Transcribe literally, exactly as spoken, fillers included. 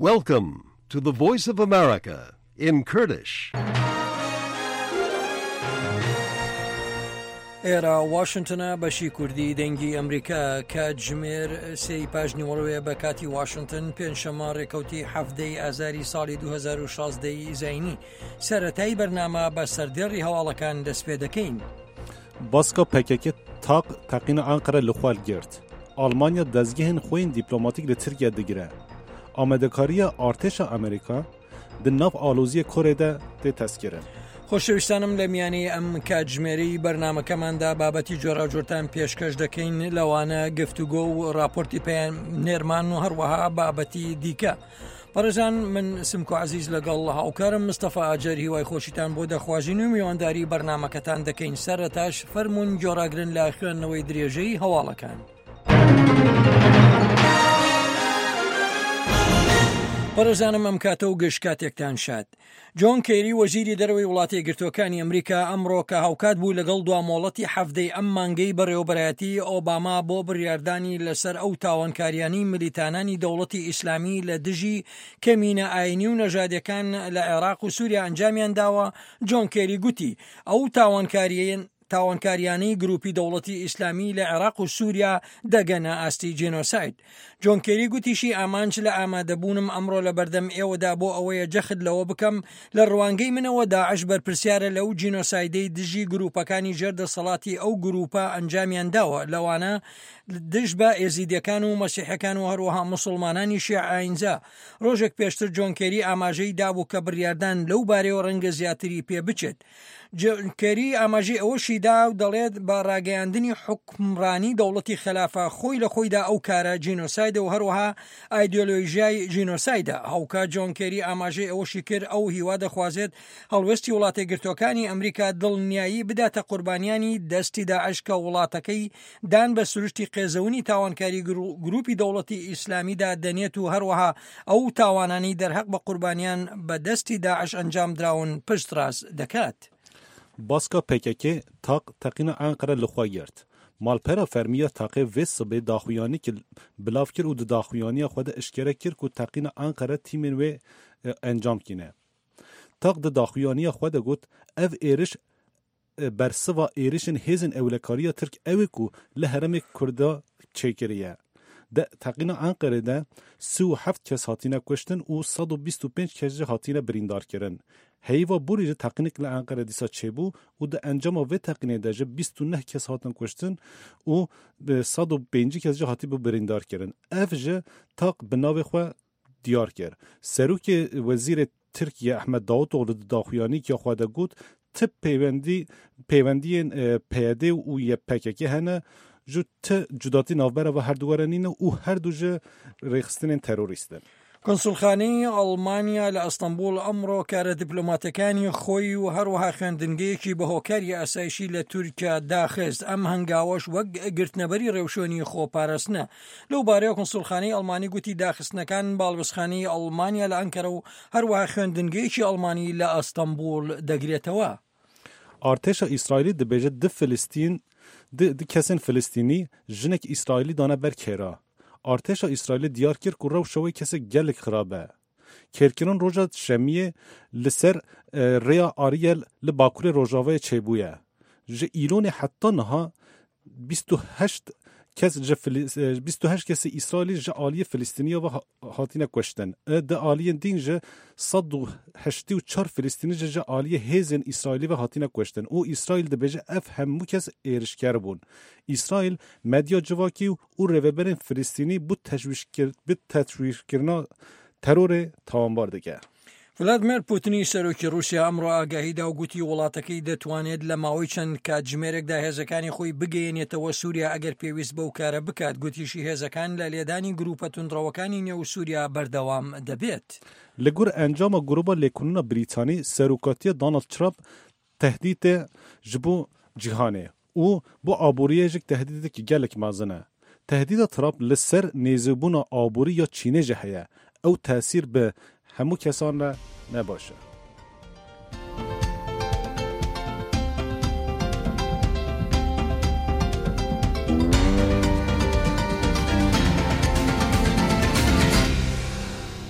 Welcome to the Voice of America in Kurdish. ئێرە واشنگتنە، بەشی کوردی دەنگی ئەمریکا. کاتژمێر سێی پاش نیوەڕۆیە بە کاتی واشنگتن، پێنجشەممە، ڕێکەوتی حەڤدەی ئازاری ساڵی دوو هەزار و شازدە ی زاینی. سەرەتای بەرنامە بە سەردێڕی هەواڵەکان دەست پێ دەکەین. Baska P K K taq teqîna Enqere li xwe girt. Almanya dezgehên xwe yên dîplomatîk li Tirkiye digire. Amadekariya artêşa Amerîka di nav aloziyê Korê de tê testkirin. خۆشەویستانم، لە میانەی ئەم کاتژمێرەی بەرنامەکەماندا بابەتی جۆراوجۆرتان پێشکەش دەکەین، لەوانە گفتوگۆ و راپۆرتی پەیامنێرمان و هەروەها بابەتی دیکە. بەڕێزان، من سمکۆ عەزیز لەگەڵ هاوکارم مستەفا ئاجەر هیوای خۆشیتان بۆ دەخوازین و میوانداری بەرنامەکەتان دەکەین. سەرەتاش فەرموون گۆڕاگرن لە خوێندنەوەی درێژەی هەواڵەکان. بەڕێزانم، ئەم کاتە و گەشت کاتێکتان شاد. جۆن کێری، وەزیری دەرەوەی وڵاتە یەکگرتووەکانی ئەمریکا، ئەمڕۆ کە هاوکات بوو لەگەڵ دوا مۆڵەتی حەڤدەی ئەم مانگەی بەڕێوەبەرایەتی ئۆباما بۆ بڕیاردانی لەسەر ئەو تاوانکاریانی ملیتانانی دەوڵەتی ئیسلامی لە دژی کەمینە ئاینی و نەژادیەکان لە عێراق و سووریا ئەنجامیان داوە، جۆن کێری گوتی، ئەو تاوانکاریین تاوانکاریانەی گروپی دەوڵەتی ئیسلامی لە عێراق و سووریا دەگەنە ئاستی جینۆساید. جۆن کێری گوتیشی، ئامانج لە ئامادەبوونم ئەمڕۆ لە بەردەم ئێوەدا بۆ ئەوەیە جەخت لەوە بکەم، لە ڕوانگەی منەوە داعش بەرپرسیارە لەو جینۆسایدەی دژی گروپەکانی ژێر دەسەڵاتی ئەو گروپە ئەنجامیان داوە، لەوانە دژ بە ئێزیدیەکان و مەسیحەکان و هەروەها موسڵمانانی شیعە ئاینزا. ڕۆژێک پێشتر جۆن کێری ئاماژەی دابوو کە بڕیاردان لەو بارەیەوە ڕەنگە زیاتری پێ بچێت. جۆن کێری ئاماژەی ئەوەشی دا و دەڵێت، بە ڕاگەیاندنی حکمڕانی دەوڵەتی خەلافە خۆی لە خۆیدا ئەو کارە جینۆسایدە و هەروەها ئایدیۆلۆژیای جینۆسایدە. هاوکات جۆن کێری ئاماژەی ئەوەشی کرد، ئەو هیوا دەخوازێت هەڵوێستی وڵاتە یەکگرتووەکانی ئەمریکا دڵنیایی بداتە قوربانیانی دەستی داعش کە وڵاتەکەی دان بە سروشتی قێزەونی تاوانکاری گرو-، گروپی دەوڵەتی ئیسلامیدا دەنێت و هەروەها ئەو تاوانانی دەرهەق بە قوربانیان بە دەستی داعش ئەنجام دراون پشتڕاست دەکات. Baska P K K taq teqîna Enqere li xwe girt. Malpera fermî ya taqê vê sibê daxuyanî ki bilav kir û di daxuyaniya xwe de eşkere kir ku teqîna Enqere tîmên wê, e, encam kîne. Taq di daxuyaniya xwe de got, ev êriş, e, bersiva êrişên hêzên ewlekariya Tirk ew ê ku li herêmê Kurda çêkiriye. Di teqîna Enqerê de sî û heft kes hatine kuştin û sed û bîst û pênc kes jî hatine birîndarkirin. Heyva borî jî teqînek li Enqere dîsa çêbû û di encama vê teqînê de jî bîst û neh kes hatin kuştin û, e, sed û pêncî kes jî hatibû birîndarkirin. Ev jî taq bi navê xwe diyar kir. Serokê Wezîrê Tirkiye Ehmed Davutoğlu di daxuyanîkiya xwe de got, ti peywendî-, peywendiyên, e, P Y D û Y P G G hene, ji ti cudatî navbera ve herdu were nîne û herdu ji rêxistinên terorîst in. کۆنسولخانەی ئەڵمانیا لە ئەستەنبوڵ ئەمڕۆ کارە دیپلۆماتەکانی خۆی و هەروەها خوێندنگەیەکی بە هۆکاری ئاسایشی لە تورکیا داخست. ئەم هەنگاوەش وەک گرتنەبەری ڕێوشۆنی خۆپارستنە. لەو بارەیەوە کۆنسولخانەی ئەڵمانی گوتی داخستنەکان باڵوێزخانەی ئەڵمانیا لە ئەنکەرە و هەروەها خوێندنگەیەکی ئەڵمانی لە ئەستەنبوڵ دەگرێتەوە. Artêşa Îsraîlî dibêje du Filistîn, du, du kesên Filistînî, jinek Îsraîlî dane ber kêra. Artêşa Îsraîlî diyar kir ku rewşa wê kesek gelek xirab e. Kêrkirin roja Şemiyê li ser, e, rêya Ariyel li bakurê rojavayê çêbûye. Ji Îlonê heta niha bîst û heşt kes ji Fili-, e, bîst û heşt kesê Îsraîlî ji aliyê Filistîniya ve ha-, hatine kuştin. E, di aliyên din ji sed û heştê û çar Filistînî ji, ji aliyê hêzên Îsraîlî ve hatine kuştin. Û Îsraîl dibêje ev hemû kes êrişker bûn. Îsraîl medya civakî û rêveberên Filistînî bi teşwîşkir-, bi teşwîşkirina terorê tawanbar dike. ڤلادیمیر پوتنی سەرۆکی ڕووسیا ئەمڕۆ ئاگاهی دا و گوتی وڵاتەکەی دەتوانێت لە ماوەی چەند کاتژمێرێکدا هێزەکانی خۆی بگەیەنێتەوە سووریا ئەگەر پێویست بەو کارە بکات. گوتیشی هێزەکان لە لێدانی گروپە توندڕەوەکانی نێو سووریا بەردەوام دەبێت. Li gor encama Gruba Lêkolîna Brîtanî, serokatiya Donald Trump tehdîtê ji bo cîhanê û bo aboriyê jî tehdîtekî gelek mezin e. Tehdîda Trump li ser nêzîbûna aborî ya Çînê jî heye. Ew tesîr bi hemû kesan re ne baş e.